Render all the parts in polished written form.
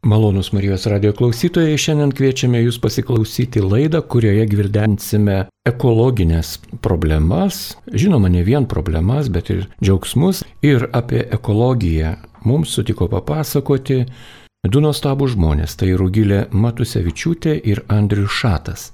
Malonūs Marijos radio klausytojai, šiandien kviečiame jūs pasiklausyti laidą, kurioje gvildensime ekologinės problemas, žinoma ne vien problemas, bet ir džiaugsmus. Ir apie ekologiją mums sutiko papasakoti du nuostabų žmonės, tai Rugilė Matusevičiūtė ir Andrius Šatas.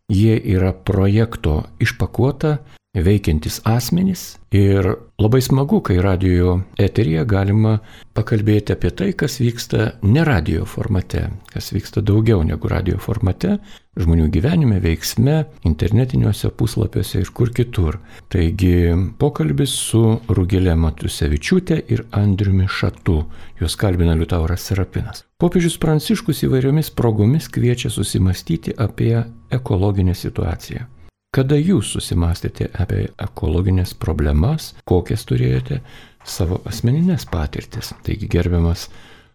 Jie yra projekto Išpakuota veikiantis asmenys ir labai smagu, kai radio eteryje galima pakalbėti apie tai, kas vyksta ne radio formate, kas vyksta daugiau negu radio formate, žmonių gyvenime, veiksme, internetiniuose puslapiuose ir kur kitur. Taigi pokalbis su Rugilė Matusevičiūtė ir Andriumi Šatu. Juos kalbina Liutauras Serapinas. Popiežius Pranciškus įvairiomis progomis kviečia susimastyti apie ekologinę situaciją. Kada jūs susimastėte apie ekologinės problemas, kokias turėjote savo asmeninės patirtis? Taigi gerbiamas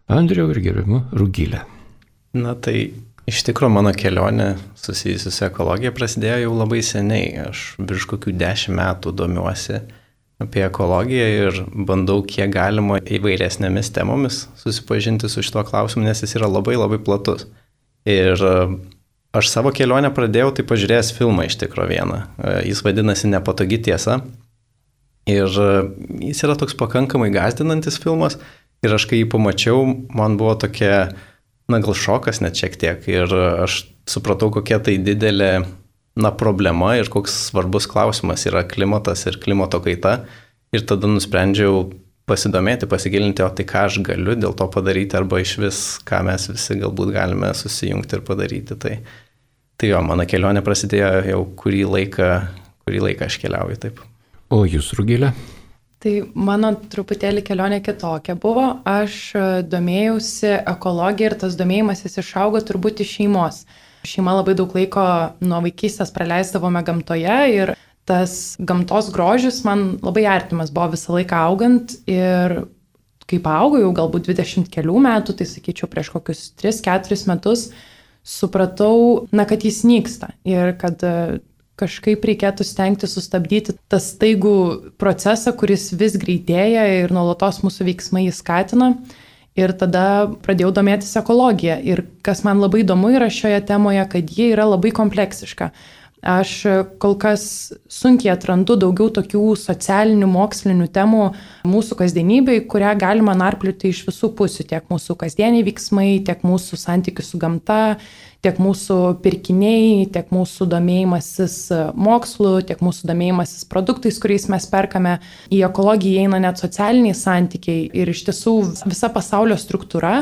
Andriau ir gerbiama Rugilė. Na tai iš tikrųjų mano kelionė susijusi su ekologija prasidėjo jau labai seniai. Aš virš kokių 10 metų domiuosi apie ekologiją ir bandau kiek galima įvairesnėmis temomis susipažinti su šituo klausimu, nes jis yra labai labai platus. Ir aš savo kelionę pradėjau tai pažiūrėjęs filmą iš tikro vieną. Jis vadinasi Nepatogi tiesa. Ir jis yra toks pakankamai gąsdinantis filmas. Ir aš kai jį pamačiau, man buvo tokia, gal šokas net šiek tiek. Ir aš supratau, kokia tai didelė problema ir koks svarbus klausimas yra klimatas ir klimato kaita. Ir tada nusprendžiau pasidomėti, pasigilinti, o tai ką aš galiu dėl to padaryti, arba iš vis, ką mes visi galbūt galime susijungti ir padaryti. Tai jo, mano kelionė prasidėjo jau kurį laiką aš keliauju taip. O jūs, Rugilė? Tai mano truputėlį kelionė kitokia buvo. Aš domėjausi ekologiją ir tas domėjimasis išaugo turbūt iš šeimos. Šeima labai daug laiko nuo vaikystės praleisdavome gamtoje ir tas gamtos grožis man labai artimas buvo visą laiką augant ir kai paaugau jau galbūt 20 kelių metų, tai sakyčiau prieš kokius 3-4 metus, supratau, kad jis nyksta ir kad kažkaip reikėtų stengti sustabdyti tą staigų procesą, kuris vis greitėja ir nuolatos mūsų veiksmai jį skatina. Ir tada pradėjau domėtis ekologiją. Ir kas man labai įdomu yra šioje temoje, kad ji yra labai kompleksiška. Aš kol kas sunkiai atrandu daugiau tokių socialinių, mokslinių temų mūsų kasdienybėj, kurią galima narplioti iš visų pusių. Tiek mūsų kasdieniai veiksmai, tiek mūsų santykių su gamta, tiek mūsų pirkiniai, tiek mūsų domėjimasis mokslu, tiek mūsų domėjimasis produktais, kuriais mes perkame. Į ekologiją įeina net socialiniai santykiai ir iš tiesų visa pasaulio struktūra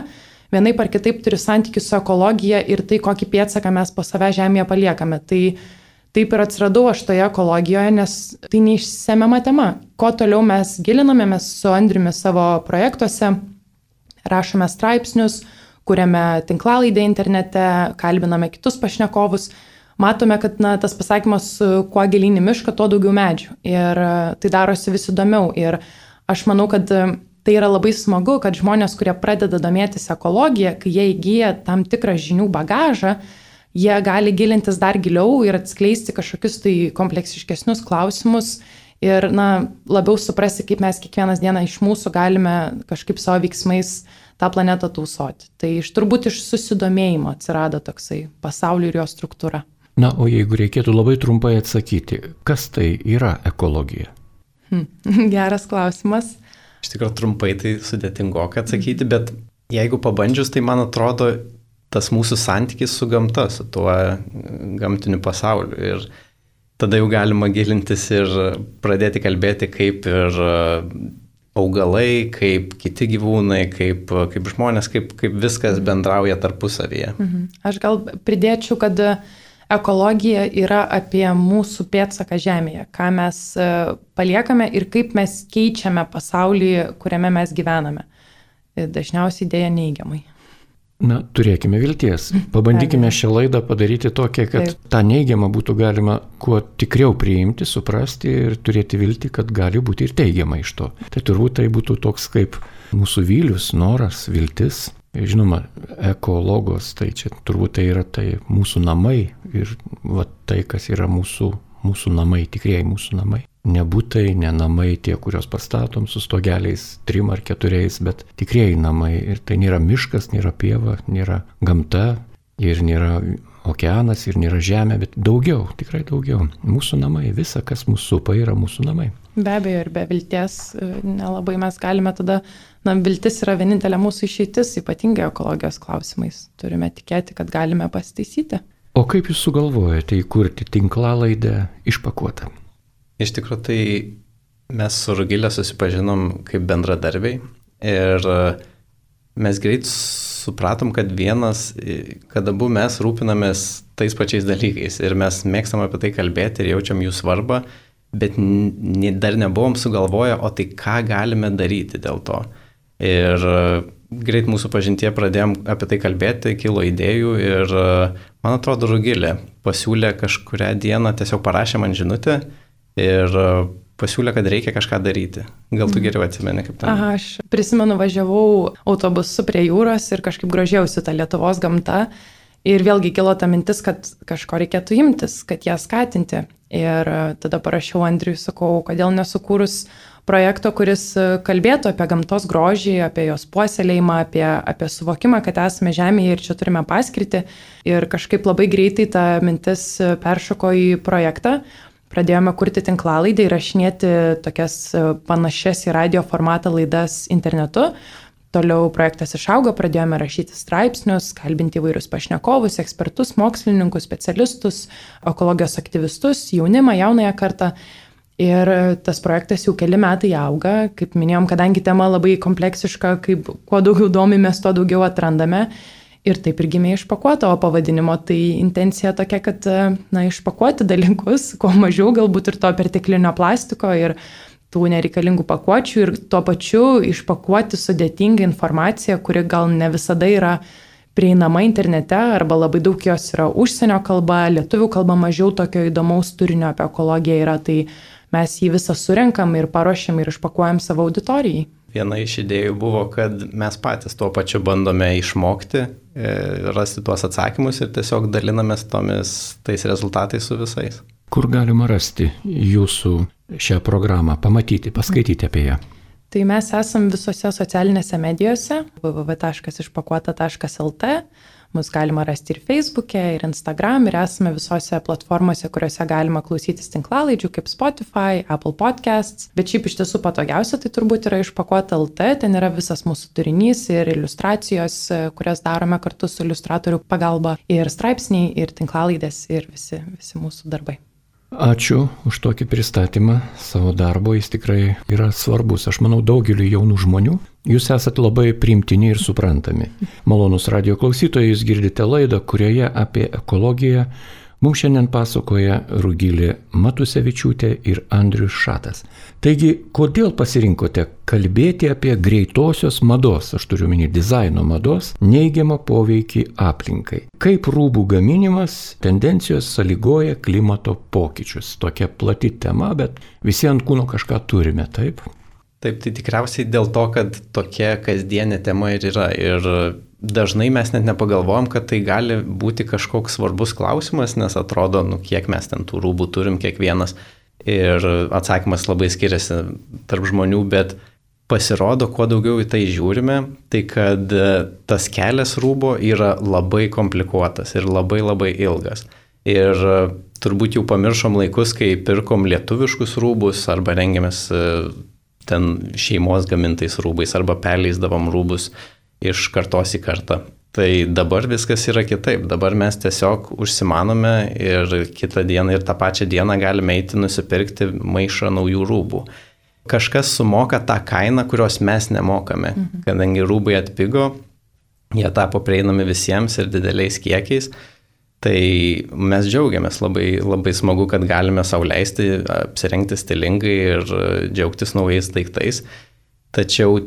vienaip ar kitaip turi santykių su ekologija ir tai, kokį pėdsaką mes po save žemėje paliekame. Tai taip ir atsiradau aš toje ekologijoje, nes tai neišsemiama tema. Kuo toliau mes gilinamės su Andriumi savo projektuose, rašome straipsnius, kuriame tinklalaidę internete, kalbiname kitus pašnekovus, matome, kad tas pasakymas, kuo gilyn į mišką, tuo daugiau medžių. Ir tai darosi vis įdomiau. Ir aš manau, kad tai yra labai smagu, kad žmonės, kurie pradeda domėtis ekologiją, kai jie įgyja tam tikrą žinių bagažą, jie gali gilintis dar giliau ir atskleisti kažkokius tai kompleksiškesnius klausimus ir labiau suprasti, kaip mes kiekvienas dieną iš mūsų galime kažkaip savo veiksmais tą planetą tausoti. Tai turbūt iš susidomėjimo atsirado toksai pasaulio ir jo struktūra. O jeigu reikėtų labai trumpai atsakyti, kas tai yra ekologija? Geras klausimas. Iš tikrųjų trumpai tai sudėtingoka atsakyti, bet jeigu pabandžius, tai man atrodo, tas mūsų santykis su gamta, su tuo gamtiniu pasauliu. Ir tada jau galima gilintis ir pradėti kalbėti, kaip ir augalai, kaip kiti gyvūnai, kaip žmonės, kaip viskas bendrauja tarpusavyje. Aš gal pridėčiau, kad ekologija yra apie mūsų pėdsaką žemėje, ką mes paliekame ir kaip mes keičiame pasaulį, kuriame mes gyvename. Dažniausiai dėja neigiamai. Turėkime vilties. Pabandykime šią laidą padaryti tokią, kad tą neigiamą būtų galima kuo tikriau priimti, suprasti ir turėti viltį, kad gali būti ir teigiama iš to. Tai turbūt tai būtų toks kaip mūsų vylius, noras, viltis. Žinoma, ekologos, tai čia turbūt tai yra mūsų namai ir tai, kas yra mūsų namai, tikrieji mūsų namai. ne būtai, ne namai tie, kuriuos pastatom su stogeliais 3 ar 4, bet tikrieji namai. Ir tai nėra miškas, nėra pieva, nėra gamta ir nėra okeanas ir nėra žemė, bet daugiau, tikrai daugiau. Mūsų namai, visa, kas mūsų supa, yra mūsų namai. Be abejo, ir be vilties nelabai mes galime tada, viltis yra vienintelė mūsų išeitis, ypatingai ekologijos klausimais. Turime tikėti, kad galime pasitaisyti. O kaip jūs sugalvojate įkurti tinklalaidę Išpakuota? Iš tikrųjų, tai mes su Rugile susipažinom kaip bendradarbiai ir mes greit supratom, kad abu mes rūpinamės tais pačiais dalykais ir mes mėgstam apie tai kalbėti ir jaučiam jų svarbą, bet dar nebuvom sugalvoję, o tai ką galime daryti dėl to. Ir greit mūsų pažintie pradėjom apie tai kalbėti, kilo idėjų ir man atrodo Rugilė pasiūlė kažkurią dieną, tiesiog parašė man žinutę ir pasiūlė, kad reikia kažką daryti. Gal tu geriau atsimeni kaip ten? Aha, aš prisimenu, važiavau autobusu prie jūros ir kažkaip grožėjausi tą Lietuvos gamtą. Ir vėlgi kilo ta mintis, kad kažko reikėtų imtis, kad ją skatinti. Ir tada parašiau Andriui, sakau, kodėl nesukūrus projekto, kuris kalbėtų apie gamtos grožį, apie jos puoselėjimą, apie suvokimą, kad esame žemėje ir čia turime paskirtį. Ir kažkaip labai greitai ta mintis peršoko į projektą. Pradėjome kurti tinklalaidę, įrašinėti tokias panašias į radio formatą laidas internetu. Toliau projektas išaugo, pradėjome rašyti straipsnius, kalbinti įvairius pašnekovus, ekspertus, mokslininkus, specialistus, ekologijos aktyvistus, jaunimą, jaunąją kartą. Ir tas projektas jau keli metai auga. Kaip minėjom, kadangi tema labai kompleksiška, kaip kuo daugiau domimės, tuo daugiau atrandame. Ir taip ir gimė Išpakuota, o pavadinimo tai intencija tokia, kad išpakuoti dalykus, kuo mažiau galbūt ir to perteklinio plastiko ir tų nereikalingų pakuočių ir tuo pačiu išpakuoti sudėtingą informaciją, kuri gal ne visada yra prieinama internete arba labai daug jos yra užsienio kalba, lietuvių kalba mažiau tokio įdomaus turinio apie ekologiją yra, tai mes jį visą surenkam ir paruošiam ir išpakuojam savo auditorijai. Viena iš idėjų buvo, kad mes patys tuo pačiu bandome išmokti, rasti tuos atsakymus ir tiesiog dalinamės tais rezultatais su visais. Kur galima rasti jūsų šią programą, pamatyti, paskaityti apie ją? Tai mes esam visose socialinėse medijose, www.išpakuota.lt. Mus galima rasti ir Facebook'e, ir Instagram, ir esame visose platformose, kuriuose galima klausytis tinklalaidžių, kaip Spotify, Apple Podcasts. Bet šiaip iš tiesų patogiausia tai turbūt yra Išpakuota.lt, ten yra visas mūsų turinys ir iliustracijos, kurias darome kartu su iliustratorių pagalba, ir straipsniai, ir tinklalaidės, ir visi mūsų darbai. Ačiū už tokį pristatymą savo darbo, jis tikrai yra svarbus. Aš manau, daugeliu jaunų žmonių jūs esate labai priimtini ir suprantami. Malonus radio klausytojai, jūs girdite laidą, kurioje apie ekologiją mums šiandien pasakoja Rugilė Matusevičiūtė ir Andrius Šatas. Taigi, kodėl pasirinkote kalbėti apie greitosios mados, aš turiu omeny dizaino mados, neigiamą poveikį aplinkai? Kaip rūbų gaminimas tendencijos sąlygoja klimato pokyčius? Tokia plati tema, bet visi ant kūno kažką turime, taip? Taip, tai tikriausiai dėl to, kad tokia kasdienė tema ir yra. Ir dažnai mes net nepagalvojam, kad tai gali būti kažkoks svarbus klausimas, nes atrodo, kiek mes ten tų rūbų turim kiekvienas. Ir atsakymas labai skiriasi tarp žmonių, bet pasirodo, kuo daugiau į tai žiūrime, tai kad tas kelias rūbo yra labai komplikuotas ir labai labai ilgas. Ir turbūt jau pamiršom laikus, kai pirkom lietuviškus rūbus arba rengiamės ten šeimos gamintais rūbais arba perleisdavom rūbus iš kartos į kartą. Tai dabar viskas yra kitaip. Dabar mes tiesiog užsimanome ir kitą dieną ir tą pačią dieną galime eiti nusipirkti maišą naujų rūbų. Kažkas sumoka tą kainą, kurios mes nemokame. Kadangi rūbai atpigo, jie tapo prieinami visiems ir dideliais kiekiais. Tai mes džiaugiamės, labai, labai smagu, kad galime sau leisti apsirengti stilingai ir džiaugtis naujais daiktais. Tačiau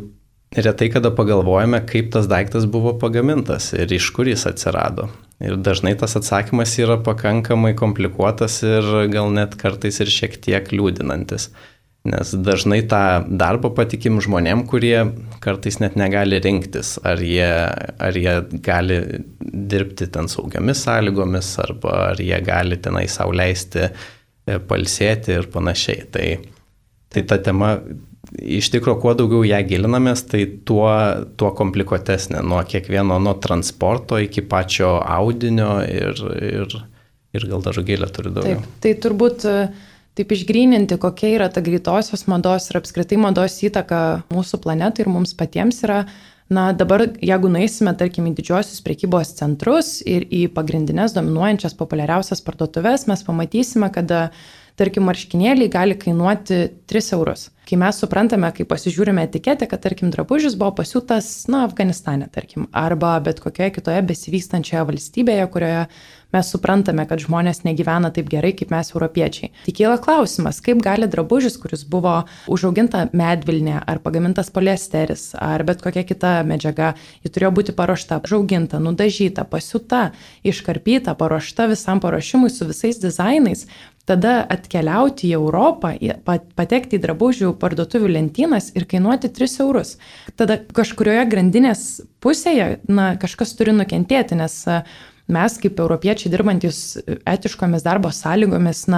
retai kada pagalvojame, kaip tas daiktas buvo pagamintas ir iš kur jis atsirado. Ir dažnai tas atsakymas yra pakankamai komplikuotas ir gal net kartais ir šiek tiek liūdinantis. Nes dažnai tą darbą patikim žmonėm, kurie kartais net negali rinktis, ar jie gali dirbti ten saugiamis sąlygomis, arba ar jie gali tenai sau leisti pailsėti ir panašiai. Tai ta tema, iš tikrųjų, kuo daugiau ją gilinamės, tai tuo komplikuotesnė, nuo kiekvieno, nuo transporto iki pačio audinio ir gal dar gėlę turi daugiau. Taip, tai turbūt taip išgryninti, kokia yra ta greitosios mados ir apskritai mados įtaka mūsų planetai ir mums patiems yra, dabar, jeigu nueisime, tarkim, į didžiosius prekybos centrus ir į pagrindinės dominuojančias populiariausias parduotuves, mes pamatysime, kad tarkim, marškinėliai gali kainuoti 3 eurus. Kai mes suprantame, kai pasižiūrime etiketę, kad, tarkim, drabužis buvo pasiūtas, Afganistane, tarkim, arba bet kokioje kitoje besivystančioje valstybėje, kurioje mes suprantame, kad žmonės negyvena taip gerai, kaip mes europiečiai. Tik kyla klausimas, kaip gali drabužis, kuris buvo užauginta medvilnė, ar pagamintas poliesteris, ar bet kokia kita medžiaga, ji turėjo būti paruošta, užauginta, nudažyta, pasiūta, iškarpyta, paruošta visam paruošimui su visais dizainais, tada atkeliauti į Europą, patekti į drabužių parduotuvių lentynas ir kainuoti 3 eurus. Tada kažkurioje grandinės pusėje, kažkas turi nukentėti, nes mes kaip europiečiai dirbantis etiškomis darbo sąlygomis,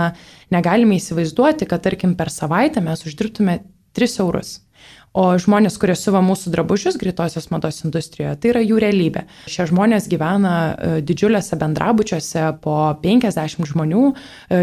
negalime įsivaizduoti, kad, tarkim, per savaitę mes uždirbtume 3 eurus. O žmonės, kurie siuva mūsų drabužius greitosios mados industrijoje, tai yra jų realybė. Šie žmonės gyvena didžiuliuose bendrabučiuose po 50 žmonių,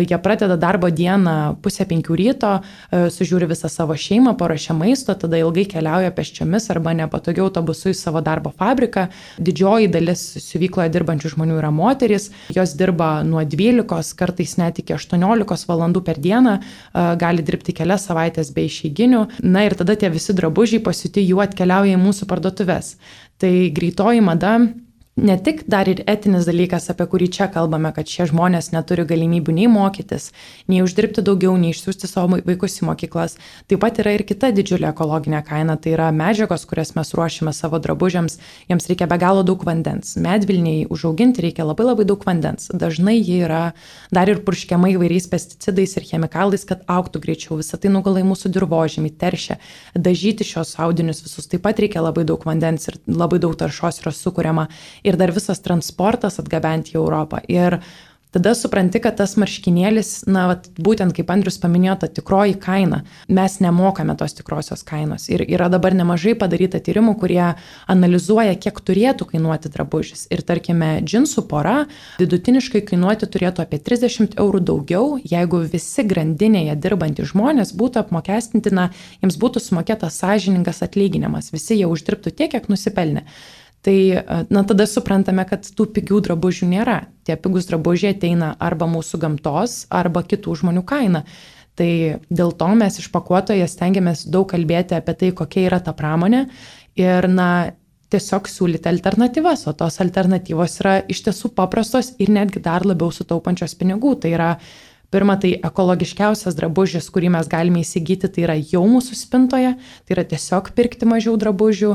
jie pradeda darbo dieną 4:30 ryto, sužiūri visą savo šeimą, paruošia maisto, tada ilgai keliauja pėsčiomis arba nepatogiu autobusu į savo darbo fabriką. Didžioji dalis siuvykloje dirbančių žmonių yra moterys, jos dirba nuo 12, kartais net iki 18 valandų per dieną, gali dirbti kelias savaitės be išeiginių. Ir tada tie visi drabužiai pasiūti jų atkeliauja į mūsų parduotuves. Tai greitoji mada ne tik dar ir etinis dalykas, apie kurį čia kalbame, kad šie žmonės neturi galimybių nei mokytis, nei uždirbti daugiau, nei išsiųsti savo vaikus į mokyklas. Taip pat yra ir kita didžiulė ekologinė kaina, tai yra medžiagos, kurias mes ruošime savo drabužiams, jiems reikia be galo daug vandens. Medvilniai užauginti reikia labai daug vandens. Dažnai jie yra dar ir purškiama įvairiais pesticidais ir chemikalais, kad augtų greičiau. Visą tai nugula į mūsų dirvožemį, teršia. Dažyti šios audinius visus taip pat reikia labai daug vandens ir labai daug taršos yra sukuriama. Ir dar visas transportas atgabenti į Europą. Ir tada supranti, kad tas marškinėlis, būtent kaip Andrius paminėjo, ta tikroji kaina. Mes nemokame tos tikrosios kainos. Ir yra dabar nemažai padaryta tyrimų, kurie analizuoja, kiek turėtų kainuoti drabužis. Ir tarkime, džinsų pora vidutiniškai kainuoti turėtų apie 30 eurų daugiau, jeigu visi grandinėje dirbantys žmonės būtų apmokestinti, jiems būtų sumokėtas sąžiningas atlyginimas. Visi jie uždirbtų tiek, kiek nusipelnė. Tai tada suprantame, kad tų pigių drabužių nėra. Tie pigus drabužiai ateina arba mūsų gamtos, arba kitų žmonių kaina. Tai dėl to mes iš pakuotoje stengiamės daug kalbėti apie tai, kokia yra ta pramonė ir tiesiog siūlyti alternatyvas, o tos alternatyvos yra iš tiesų paprastos ir netgi dar labiau sutaupančios pinigų. Tai yra pirma, tai ekologiškiausias drabužis, kurį mes galime įsigyti, tai yra jau mūsų spintoje, tai yra tiesiog pirkti mažiau drabužių,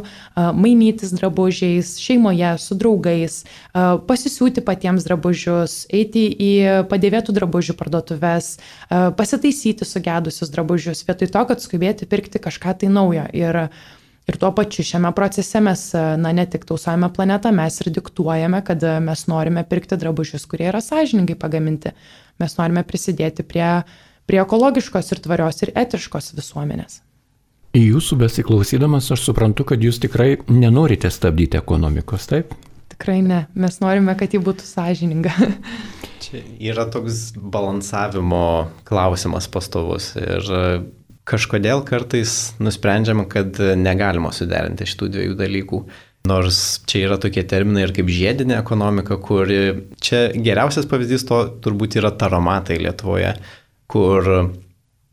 mainytis drabužiais, šeimoje, su draugais, pasisiūti patiems drabužius, eiti į padėvėtų drabužių parduotuves, pasitaisyti sugedusius drabužius, vietoj to, kad skubėti pirkti kažką tai naujo. Ir tuo pačiu šiame procese mes ne tik tausojame planetą, mes ir diktuojame, kad mes norime pirkti drabužius, kurie yra sąžiningai pagaminti. Mes norime prisidėti prie ekologiškos ir tvarios ir etiškos visuomenės. Į jūsų besiklausydamas aš suprantu, kad jūs tikrai nenorite stabdyti ekonomikos, taip? Tikrai ne. Mes norime, kad ji būtų sąžininga. Čia yra toks balansavimo klausimas pastovus ir kažkodėl kartais nusprendžiama, kad negalima suderinti šitų dviejų dalykų. Nors čia yra tokie terminai ir kaip žiedinė ekonomika, kur čia geriausias pavyzdys to turbūt yra taromatai Lietuvoje, kur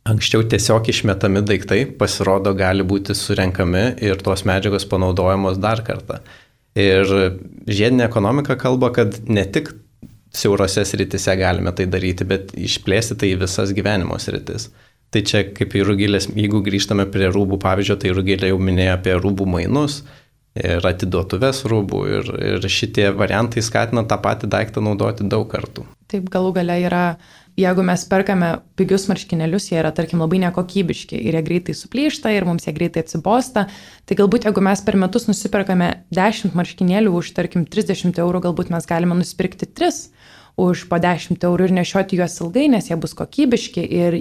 anksčiau tiesiog išmetami daiktai pasirodo gali būti surenkami ir tos medžiagos panaudojamos dar kartą. Ir žiedinė ekonomika kalba, kad ne tik siaurose sritise galime tai daryti, bet išplėsti tai į visas gyvenimo sritis. Tai čia kaip į Rugilės, jeigu grįžtame prie rūbų pavyzdžio, tai Rugilė jau minėjo apie rūbų mainus ir atiduotuves rūbų ir šitie variantai skatina tą patį daiktą naudoti daug kartų. Taip, galų gale yra, jeigu mes perkame pigius marškinėlius, jie yra, tarkim, labai nekokybiški ir jie greitai suplyšta ir mums jie greitai atsibosta, tai galbūt jeigu mes per metus nusiperkame 10 marškinėlių už, tarkim, 30 eurų, galbūt mes galime nusipirkti 3 už po 10 eurų ir nešioti juos ilgai, nes jie bus kokybiški ir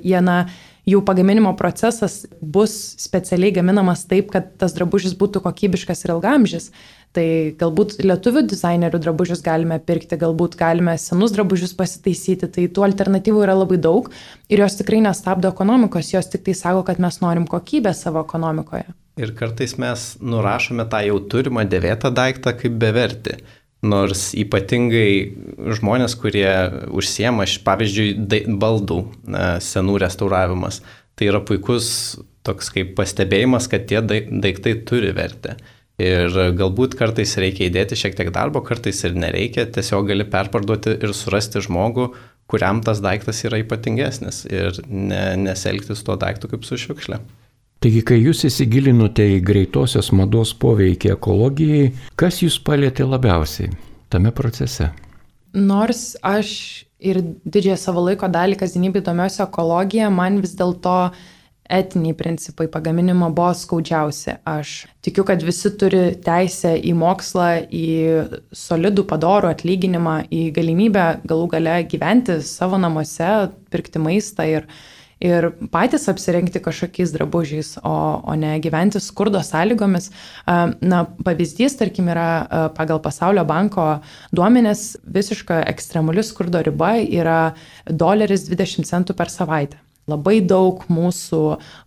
jų pagaminimo procesas bus specialiai gaminamas taip, kad tas drabužis būtų kokybiškas ir ilgamžis. Tai galbūt lietuvių dizainerių drabužius galime pirkti, galbūt galime senus drabužius pasitaisyti, tai tų alternatyvų yra labai daug ir jos tikrai nestabdo ekonomikos, jos tik tai sako, kad mes norim kokybę savo ekonomikoje. Ir kartais mes nurašome tą jau turimą dėvėtą daiktą kaip bevertį. Nors ypatingai žmonės, kurie užsiema, pavyzdžiui, baldų senų restauravimas, tai yra puikus toks kaip pastebėjimas, kad tie daiktai turi vertę. Ir galbūt kartais reikia įdėti šiek tiek darbo, kartais ir nereikia, tiesiog gali perparduoti ir surasti žmogų, kuriam tas daiktas yra ypatingesnis ir neselgtis tuo daiktu kaip su šiukšle. Taigi, kai jūs įsigilinote į greitosios mados poveikį ekologijai, kas jūs palietė labiausiai tame procese? Nors aš ir didžiąją savo laiko dalį kasdienybėje domiuosi ekologija, man vis dėlto etiniai principai pagaminimo buvo skaudžiausi. Aš tikiu, kad visi turi teisę į mokslą, į solidų padorų atlyginimą, į galimybę galų gale gyventi savo namuose, pirkti maistą ir patys apsirengti kažkokiais drabužiais, o ne gyventi skurdo sąlygomis. Pavyzdys, tarkim, yra pagal Pasaulio banko duomenis, visiška ekstremali skurdo riba yra $1.20 per savaitę. Labai daug mūsų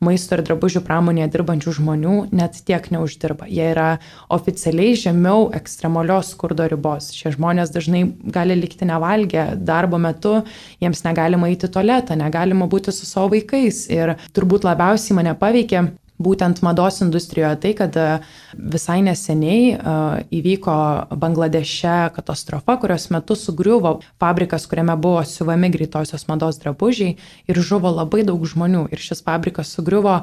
maisto ir drabužių pramonėje dirbančių žmonių net tiek neuždirba. Jie yra oficialiai žemiau ekstremalios skurdo ribos. Šie žmonės dažnai gali likti nevalgę darbo metu, jiems negalima eiti į tualetą, negalima būti su savo vaikais. Ir turbūt labiausiai mane paveikė būtent mados industrijoje tai, kad visai neseniai įvyko Bangladeše katastrofa, kurios metu sugriuvo fabrikas, kuriame buvo siuvami greitosios mados drabužiai ir žuvo labai daug žmonių. Ir šis fabrikas sugriuvo,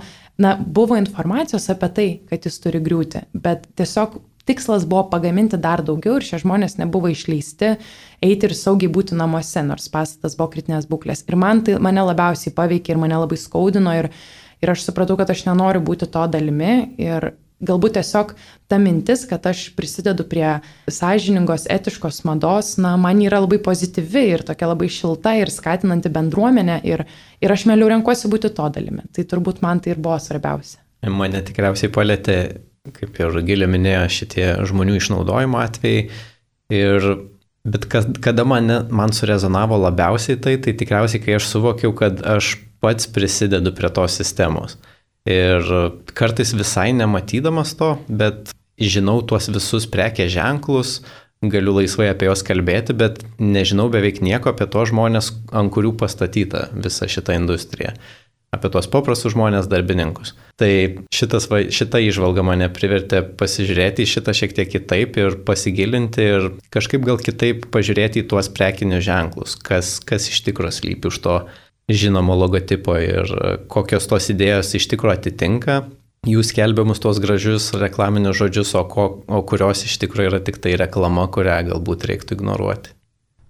buvo informacijos apie tai, kad jis turi griūti, bet tiesiog tikslas buvo pagaminti dar daugiau ir šie žmonės nebuvo išleisti eiti ir saugiai būti namuose, nors pastatas buvo kritinės būklės. Ir mane labiausiai paveikė ir mane labai skaudino ir aš supratau, kad aš nenoriu būti to dalimi ir galbūt tiesiog ta mintis, kad aš prisidedu prie sąžiningos, etiškos mados, man yra labai pozityvi ir tokia labai šilta ir skatinanti bendruomenę ir aš mieliau renkuosi būti to dalimi. Tai turbūt man tai ir buvo svarbiausia. Mane tikriausiai palėtė, kaip ir Rugilė minėjo, šitie žmonių išnaudojimo atvejai. Bet kada man surezonavo labiausiai tai tikriausiai, kai aš suvokiau, kad aš pats prisidedu prie tos sistemos. Ir kartais visai nematydamas to, bet žinau tuos visus prekės ženklus, galiu laisvai apie juos kalbėti, bet nežinau beveik nieko apie tos žmonės, ant kurių pastatyta visa šita industrija. Apie tuos paprastus žmonės, darbininkus. Tai šita įžvalga mane privertė pasižiūrėti į šitą šiek tiek kitaip ir pasigilinti ir kažkaip gal kitaip pažiūrėti į tuos prekinius ženklus, kas iš tikrųjų slypi už to žinomo logotipo ir kokios tos idėjos iš tikrųjų atitinka jų skelbiamus tuos gražius reklaminius žodžius, o kurios iš tikrųjų yra tik tai reklama, kurią galbūt reiktų ignoruoti.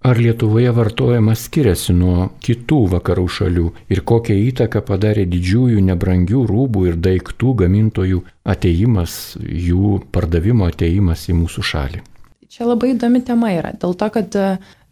Ar Lietuvoje vartojimas skiriasi nuo kitų vakarų šalių ir kokią įtaką padarė didžiųjų nebrangių rūbų ir daiktų gamintojų atėjimas, jų pardavimo atėjimas į mūsų šalį? Čia labai įdomi tema yra, dėl to, kad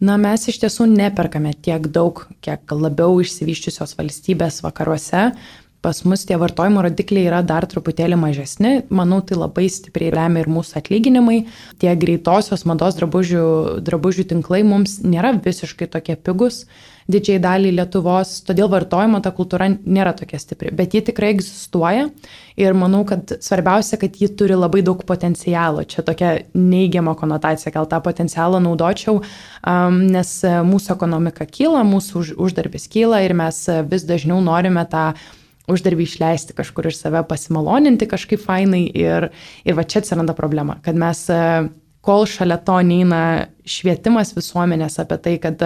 mes iš tiesų neperkame tiek daug, kiek labiau išsivyščiusios valstybės vakaruose. Pas mus tie vartojimo rodikliai yra dar truputėlį mažesni. Manau, tai labai stipriai lemia ir mūsų atlyginimai. Tie greitosios mados drabužių tinklai mums nėra visiškai tokie pigus didžiai daliai Lietuvos, todėl vartojimo ta kultūra nėra tokia stipri. Bet ji tikrai egzistuoja ir manau, kad svarbiausia, kad ji turi labai daug potencialo. Čia tokia neigiama konotacija, gal tą potencialą naudočiau, nes mūsų ekonomika kyla, mūsų uždarbis kyla ir mes vis dažniau norime tą uždarbį išleisti kažkur iš save, pasimaloninti kažkaip fainai ir va čia atsiranda problema, kad mes, kol šalia to neina švietimas visuomenės apie tai, kad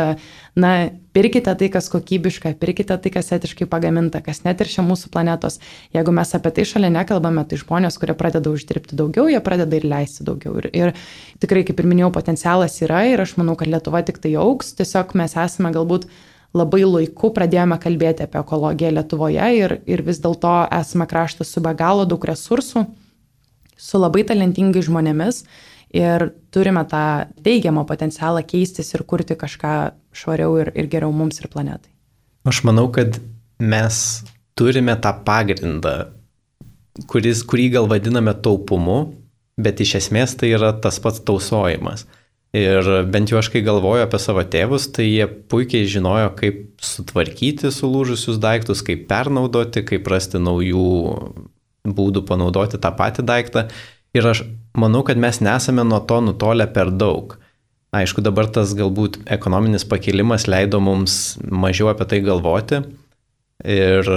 pirkite tai, kas kokybiška, pirkite tai, kas etiškai pagaminta, kas neteršia mūsų planetos. Jeigu mes apie tai šalia nekalbame, tai žmonės, kurie pradeda uždirbti daugiau, jie pradeda ir leisti daugiau. Ir tikrai, kaip ir minėjau, potencialas yra ir aš manau, kad Lietuva tik tai augs, tiesiog mes esame galbūt labai laiku pradėjome kalbėti apie ekologiją Lietuvoje ir vis dėlto esame kraštas su be galo daug resursų, su labai talentingais žmonėmis ir turime tą teigiamą potencialą keistis ir kurti kažką švariau ir geriau mums ir planetai. Aš manau, kad mes turime tą pagrindą, kurį gal vadiname taupumu, bet iš esmės tai yra tas pats tausojimas. Ir bent jau aš kai galvoju apie savo tėvus, tai jie puikiai žinojo, kaip sutvarkyti sulūžusius daiktus, kaip pernaudoti, kaip rasti naujų būdų panaudoti tą patį daiktą. Ir aš manau, kad mes nesame nuo to nutolę per daug. Aišku, dabar tas galbūt ekonominis pakilimas leido mums mažiau apie tai galvoti. Ir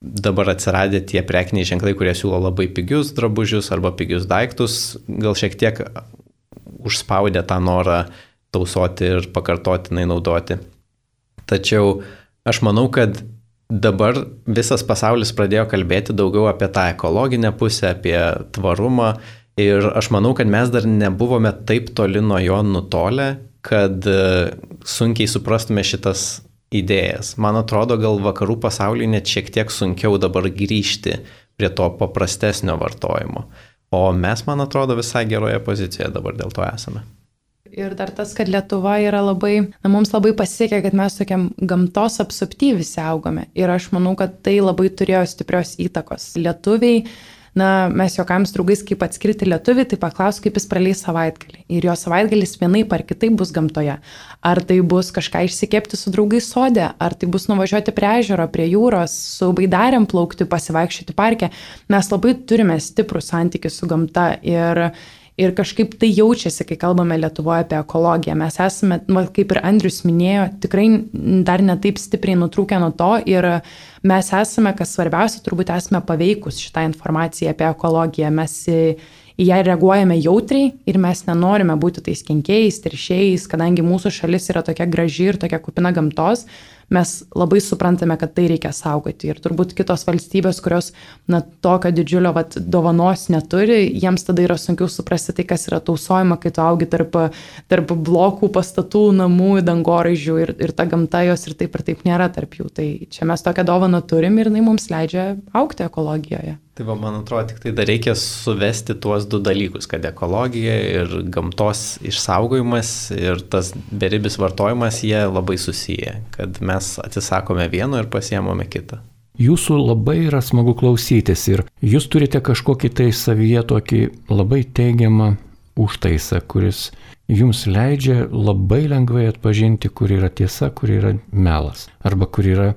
dabar atsiradę tie prekiniai ženklai, kurie siūlo labai pigius drabužius arba pigius daiktus, gal šiek tiek užspaudė tą norą tausoti ir pakartotinai naudoti. Tačiau aš manau, kad dabar visas pasaulis pradėjo kalbėti daugiau apie tą ekologinę pusę, apie tvarumą ir aš manau, kad mes dar nebuvome taip toli nuo jo nutolę, kad sunkiai suprastume šitas idėjas. Man atrodo, gal vakarų pasaulyje net šiek tiek sunkiau dabar grįžti prie to paprastesnio vartojimo. O mes, man atrodo, visai geroje pozicijoje dabar dėl to esame. Ir dar tas, kad Lietuva yra mums labai pasiekė, kad mes tokiam gamtos apsupty visi augome. Ir aš manau, kad tai labai turėjo stiprios įtakos. Lietuviai, mes juokam su draugais, kaip atskirti lietuvį, tai paklaus, kaip jis praleis savaitgalį. Ir jo savaitgalis vienaip ar kitaip bus gamtoje. Ar tai bus kažką išsikepti su draugais sode, ar tai bus nuvažiuoti prie ežero, prie jūros, su baidarėm plaukti, pasivaikščioti parke. Mes labai turime stiprų santykį su gamta ir kažkaip tai jaučiasi, kai kalbame Lietuvoje apie ekologiją. Mes esame, kaip ir Andrius minėjo, tikrai dar ne taip stipriai nutrūkę nuo to ir mes esame, kas svarbiausia, turbūt esame paveikus šitą informaciją apie ekologiją. Mes į ją reaguojame jautriai ir mes nenorime būti tais kenkėjais, teršėjais, kadangi mūsų šalis yra tokia graži ir tokia kupina gamtos, mes labai suprantame, kad tai reikia saugoti. Ir turbūt kitos valstybės, kurios tokio didžiulio dovanos neturi, jiems tada yra sunkiau suprasti tai, kas yra tausojama, kai tu augi tarp blokų, pastatų, namų, dangoraižių ir ta gamta jos ir taip nėra tarp jų. Tai čia mes tokią dovaną turim ir jinai mums leidžia augti ekologijoje. Tai man atrodo, tik tai dar reikia suvesti tuos du dalykus, kad ekologija ir gamtos išsaugojimas ir tas beribis vartojimas, jie labai susiję, kad mes atsisakome vieno ir pasiemame kitą. Jūsų labai yra smagu klausytis ir jūs turite kažkokį tai savyje tokį labai teigiamą užtaisą, kuris jums leidžia labai lengvai atpažinti, kur yra tiesa, kur yra melas, arba kur yra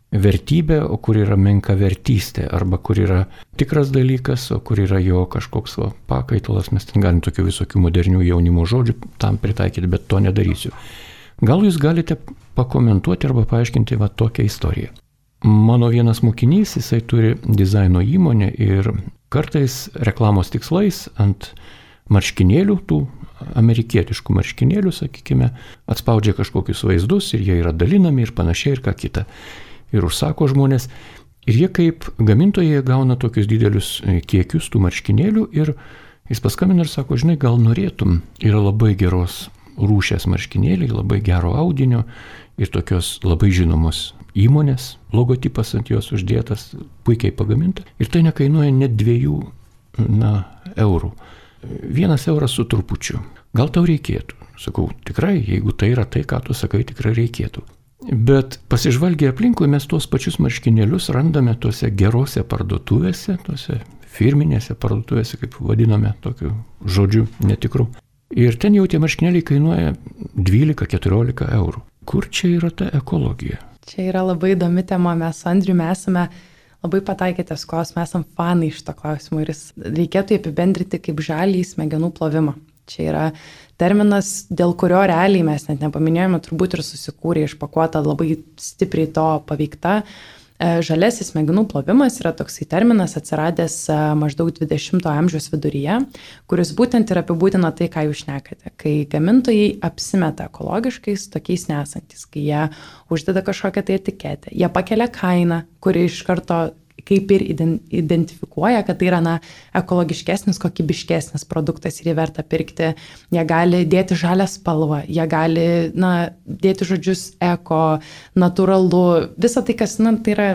vertybė, o kur yra menkavertystė, arba kur yra tikras dalykas, o kur yra jo kažkoks pakaitalas. Mes ten galim tokių visokių modernių jaunimo žodžių tam pritaikyti, bet to nedarysiu. Gal jūs galite pakomentuoti arba paaiškinti tokią istoriją. Mano vienas mokinys, jisai turi dizaino įmonę ir kartais reklamos tikslais ant marškinėlių, tų amerikietiškų marškinėlių, sakykime, atspaudžia kažkokius vaizdus ir jie yra dalinami ir panašiai ir ką kita. Ir užsako žmonės. Ir jie kaip gamintojai gauna tokius didelius kiekius tų marškinėlių ir jis paskambina ir sako, žinai, gal norėtum, yra labai geros rūšės marškinėliai, labai gero audinio ir tokios labai žinomos įmonės, logotipas ant jos uždėtas, puikiai pagaminta. Ir tai nekainuoja net 2 eurų. 1 euras su trupučiu. Gal tau reikėtų? Sakau, tikrai, jeigu tai yra tai, ką tu sakai, tikrai reikėtų. Bet pasižvalgę aplinkui mes tuos pačius marškinėlius randame tuose gerose parduotuvėse, tuose firminėse parduotuvėse, kaip vadiname, tokiu žodžiu netikru. Ir ten jau tie marškinėliai kainuoja 12-14 eurų. Kur čia yra ta ekologija? Čia yra labai įdomi tema. Mes su Andriumi esame labai pataikėtės kos, mes esame fanai šito klausimo ir reikėtų apibendrinti kaip žalį smegenų plovimą. Čia yra terminas, dėl kurio realiai mes net nepaminėjome, turbūt ir susikūrė išpakuota labai stipriai to paveikta. Žalesis smegenų plovimas yra toksai terminas atsiradęs maždaug 20-ojo amžiaus viduryje, kuris būtent ir apibūdina tai, ką jūs šnekate. Kai gamintojai apsimeta ekologiškais, tokiais nesantis, kai jie uždeda kažkokią tai etiketę, jie pakelia kainą, kuri iš karto kaip ir identifikuoja, kad tai yra ekologiškesnis, kokybiškesnis produktas ir jį verta pirkti. Jie gali dėti žalią spalvą, jie gali dėti žodžius eko, natūralu, visa tai, kas tai yra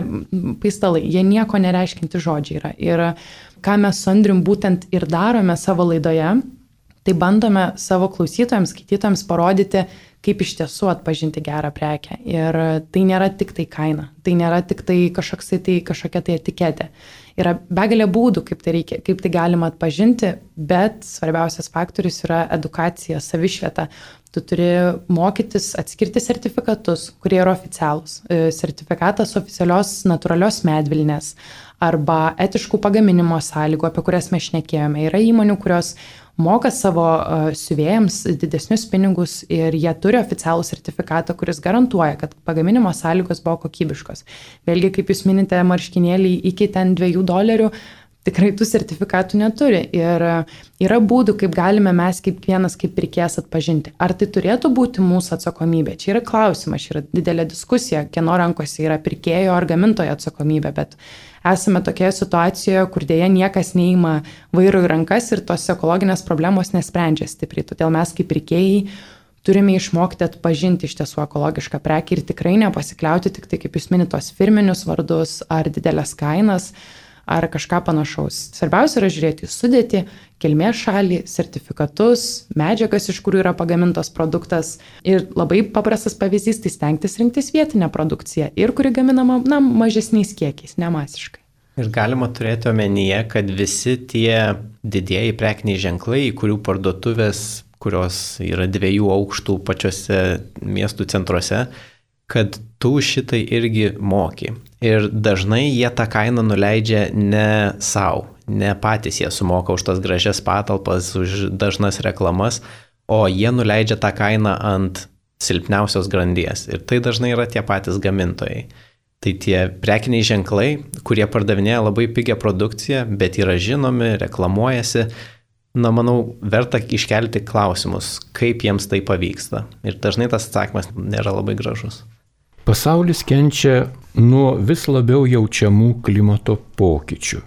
paistalai, jie nieko nereiškinti žodžiai yra. Ir ką mes su Andrium būtent ir darome savo laidoje, Tai bandome savo klausytojams, skaitytojams parodyti, kaip iš tiesų atpažinti gerą prekę. Ir tai nėra tik tai kaina, tai nėra tik tai kažkokia tai etiketė. Yra begalė būdų, kaip tai galima atpažinti, bet svarbiausias faktorius yra edukacija, savišvieta. Tu turi mokytis atskirti sertifikatus, kurie yra oficialūs. Sertifikatas oficialios natūralios medvilnės arba etiškų pagaminimo sąlygų, apie kurias mes šnekėjome. Yra įmonių, kurios moka savo siuvėjams didesnius pinigus ir jie turi oficialų sertifikatą, kuris garantuoja, kad pagaminimo sąlygos buvo kokybiškos. Vėlgi, kaip jūs minite, marškinėliai iki ten $2 tikrai tų sertifikatų neturi. Ir yra būdų, kaip galime mes kiekvienas kaip pirkėjas atpažinti. Ar tai turėtų būti mūsų atsakomybė? Čia yra klausimas, čia yra didelė diskusija, kieno rankose yra pirkėjo ar gamintojo atsakomybė, bet esame tokioje situacijoje, kur dėja niekas neima vairo į rankas ir tos ekologinės problemos nesprendžia stipriai. Todėl mes kaip pirkėjai turime išmokti atpažinti iš tiesų ekologišką prekę ir tikrai nepasikliauti tik tai, kaip jūs minite, tos firminius vardus ar didelės kainas ar kažką panašaus. Svarbiausia yra žiūrėti į sudėtį, kilmės šalį, sertifikatus, medžiagas, iš kurių yra pagamintas produktas. Ir labai paprastas pavyzdys, tai stengtis rinktis vietinę produkciją ir kuri gaminama mažesniais kiekiais, nemasiškai. Ir galima turėti omenyje, kad visi tie didieji prekiniai ženklai, kurių parduotuvės, kurios yra 2 aukštų pačiose miestų centruose, kad tu šitai irgi moki. Ir dažnai jie tą kainą nuleidžia ne savo, ne patys jie sumoka už tas gražias patalpas, už dažnas reklamas, o jie nuleidžia tą kainą ant silpniausios grandies. Ir tai dažnai yra tie patys gamintojai. Tai tie prekiniai ženklai, kurie pardavinėja labai pigią produkciją, bet yra žinomi, reklamuojasi, manau, verta iškelti klausimus, kaip jiems tai pavyksta. Ir dažnai tas atsakymas nėra labai gražus. Pasaulis kenčia nuo vis labiau jaučiamų klimato pokyčių.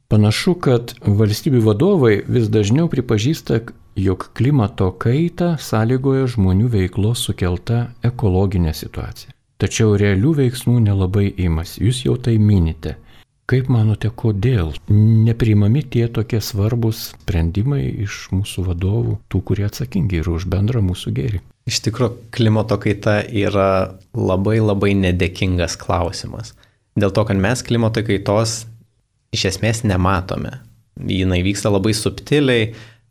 Panašu, kad valstybių vadovai vis dažniau pripažįsta, jog klimato kaitą sąlygoja žmonių veiklos sukelta ekologinė situacija. Tačiau realių veiksmų nelabai imasi. Jūs jau tai minite. Kaip manote, kodėl nepriimami tie tokie svarbus sprendimai iš mūsų vadovų, tų, kurie atsakingi ir už bendrą mūsų gėrį? Iš tikrųjų, klimato kaita yra labai nedėkingas klausimas. Dėl to, kad mes klimato kaitos iš esmės nematome. Jinai vyksta labai subtiliai,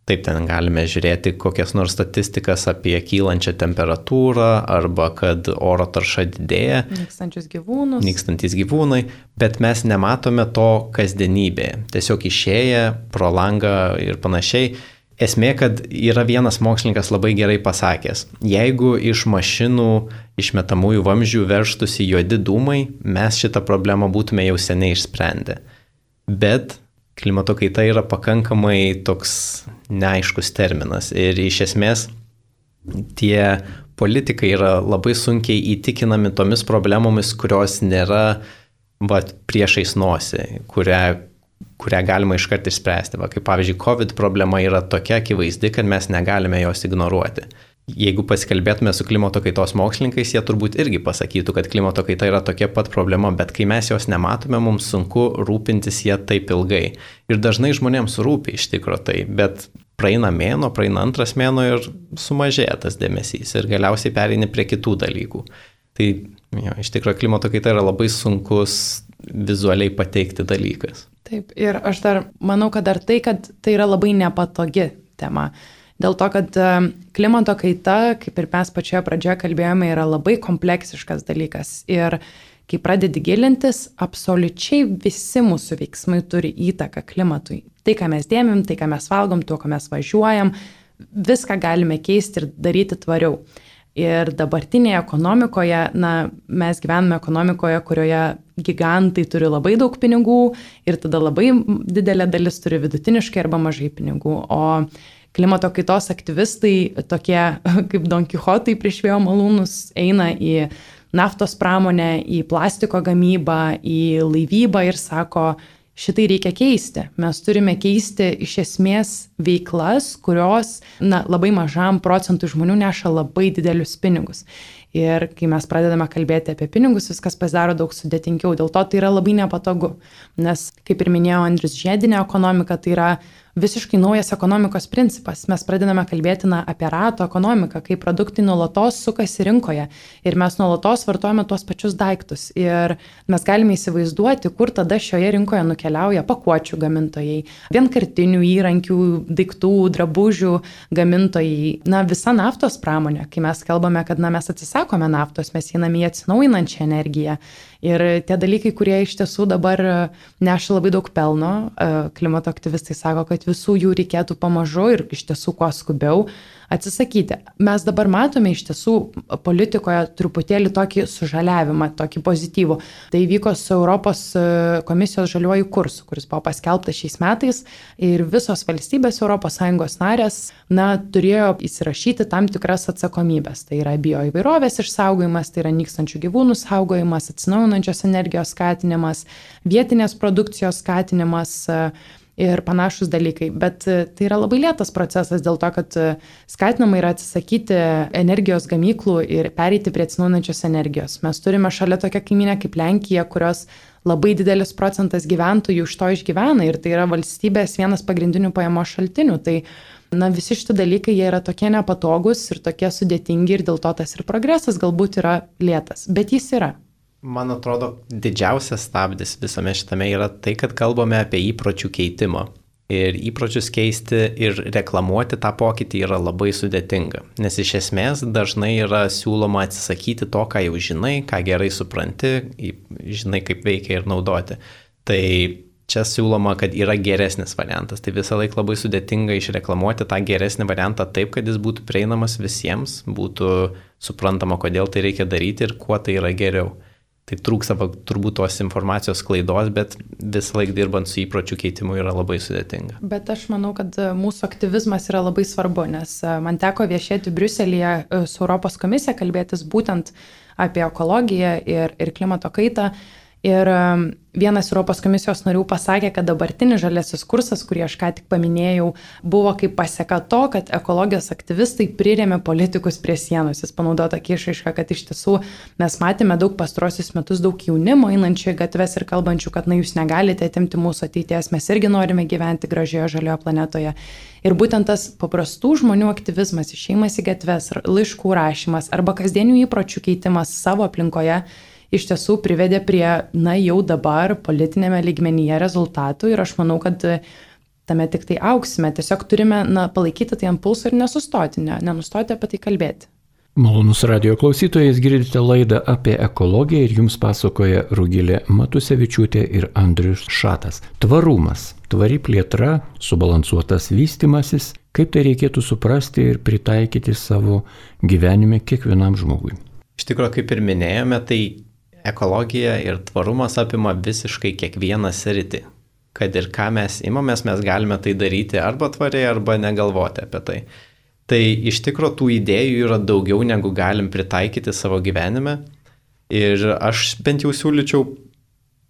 taip ten galime žiūrėti kokias nors statistikas apie kylančią temperatūrą arba kad oro tarša didėja. Nykstantis gyvūnai, bet mes nematome to kasdienybėje. Tiesiog išėję pro langą ir panašiai. Esmė, kad yra vienas mokslininkas labai gerai pasakęs, jeigu iš mašinų išmetamųjų vamzdžių veržtųsi juodi dūmai, mes šitą problemą būtume jau seniai išsprendę. Bet klimato kaita yra pakankamai toks neaiškus terminas ir iš esmės tie politikai yra labai sunkiai įtikinami tomis problemomis, kurios nėra priešais nosį, kurią galima iškart išspręsti. Kaip pavyzdžiui, COVID problema yra tokia akivaizdi, kad mes negalime jos ignoruoti. Jeigu pasikalbėtume su klimato kaitos mokslininkais, jie turbūt irgi pasakytų, kad klimato kaita yra tokia pat problema, bet kai mes jos nematome, mums sunku rūpintis ją taip ilgai. Ir dažnai žmonėms rūpi iš tikro tai, bet praeina mėnuo, praeina antras mėnuo ir sumažėja tas dėmesys ir galiausiai pereini prie kitų dalykų. Tai iš tikro klimato kaita yra labai sunkus vizualiai pateikti dalykas. Taip, ir aš dar manau, kad tai yra labai nepatogi tema. Dėl to, kad klimato kaita, kaip ir mes pačioje pradžioje kalbėjome, yra labai kompleksiškas dalykas. Ir kai pradedi gilintis, absoliučiai visi mūsų veiksmai turi įtaką klimatui. Tai, ką mes dėmim, tai, ką mes valgom, tuo, ką mes važiuojam, viską galime keisti ir daryti tvariau. Ir dabartinėje ekonomikoje, mes gyvename ekonomikoje, kurioje gigantai turi labai daug pinigų ir tada labai didelė dalis turi vidutiniškai arba mažai pinigų. O klimato kaitos aktyvistai, tokie kaip Don Kichotai prieš vėjo malūnus, eina į naftos pramonę, į plastiko gamybą, į laivybą ir sako, šitai reikia keisti. Mes turime keisti iš esmės veiklas, kurios labai mažam procentui žmonių neša labai didelius pinigus. Ir kai mes pradedame kalbėti apie pinigus, viskas pasidaro daug sudėtingiau. Dėl to tai yra labai nepatogu. Nes, kaip ir minėjo Andrius, žiedinė ekonomika tai yra visiškai naujas ekonomikos principas. Mes pradedame kalbėti apie rato ekonomiką, kai produktai nuolatos sukasi rinkoje ir mes nuolatos vartojame tuos pačius daiktus. Ir mes galime įsivaizduoti, kur tada šioje rinkoje nukeliauja pakuočių gamintojai, vienkartinių įrankių, daiktų, drabužių gamintojai, visa naftos pramonė. Kai mes kalbame, kad mes atsisakome naftos, mes einame į atsinaujinančią energiją. Ir tie dalykai, kurie iš tiesų dabar neša labai daug pelno, klimato aktyvistai sako, kad visų jų reikėtų pamažu ir iš tiesų kuo skubiau atsisakyti. Mes dabar matome iš tiesų politikoje truputėlį tokį sužaliavimą, tokį pozityvų. Tai vyko su Europos komisijos žaliuoju kursu, kuris buvo paskelbtas šiais metais ir visos valstybės ES narės turėjo įsirašyti tam tikras atsakomybės. Tai yra bioįvairovės išsaugojimas, tai yra nykstančių gyvūnų saugojimas, atsinaujinančios energijos skatinimas, vietinės produkcijos skatinimas ir panašus dalykai. Bet tai yra labai lėtas procesas dėl to, kad skatinama yra atsisakyti energijos gamyklų ir pereiti prie atsinaujinančios energijos. Mes turime šalia tokią kaimynę kaip Lenkija, kurios labai didelis procentas gyventojų iš to išgyvena ir tai yra valstybės vienas pagrindinių pajamos šaltinių. Tai visi šitie dalykai jie yra tokie nepatogus ir tokie sudėtingi ir dėl to tas ir progresas galbūt yra lėtas, bet jis yra. Man atrodo, didžiausias stabdis visame šitame yra tai, kad kalbame apie įpročių keitimą. Ir įpročius keisti ir reklamuoti tą pokytį yra labai sudėtinga. Nes iš esmės dažnai yra siūloma atsisakyti to, ką jau žinai, ką gerai supranti, žinai, kaip veikia ir naudoti. Tai čia siūloma, kad yra geresnis variantas. Tai visą laiką labai sudėtinga išreklamuoti tą geresnį variantą taip, kad jis būtų prieinamas visiems, būtų suprantama, kodėl tai reikia daryti ir kuo tai yra geriau. Tai trūksta turbūt tos informacijos klaidos, bet visą laiką dirbant su įpročių keitimu yra labai sudėtinga. Bet aš manau, kad mūsų aktyvizmas yra labai svarbu, nes man teko viešėti Briuselyje su Europos komisija, kalbėtis būtent apie ekologiją ir klimato kaitą. Ir vienas Europos komisijos narių pasakė, kad dabartinis žaliasis kursas, kurį aš ką tik paminėjau, buvo kaip paseka to, kad ekologijos aktyvistai prirėmė politikus prie sienos. Jis panaudojo tokį išraišką, kad iš tiesų mes matėme daug pastarosius metus daug jaunimo einančių į gatves ir kalbančių, kad jūs negalite atimti mūsų ateities, mes irgi norime gyventi gražioje žalioje planetoje. Ir būtent tas paprastų žmonių aktyvizmas, išėjimas į gatves, laiškų rašymas arba kasdienių įpročių keitimas savo aplinkoje iš tiesų privedė prie, jau dabar politinėme lygmenyje rezultatų ir aš manau, kad tame tik tai auksime. Tiesiog turime palaikyti tai ant pulso ir nesustoti, nenustoti apie tai kalbėti. Malonus radijo klausytojais, girdite laidą apie ekologiją ir jums pasakoja Rugilė Matusevičiūtė ir Andrius Šatas. Tvarumas, tvari plėtra, subalansuotas vystymasis, kaip tai reikėtų suprasti ir pritaikyti savo gyvenime kiekvienam žmogui. Iš tikrųjų, kaip ir minėjome, tai ekologija ir tvarumas apima visiškai kiekvieną sritį. Kad ir ką mes imamės, mes galime tai daryti arba tvariai, arba negalvoti apie tai. Tai iš tikrųjų tų idėjų yra daugiau, negu galim pritaikyti savo gyvenime. Ir aš bent jau siūlyčiau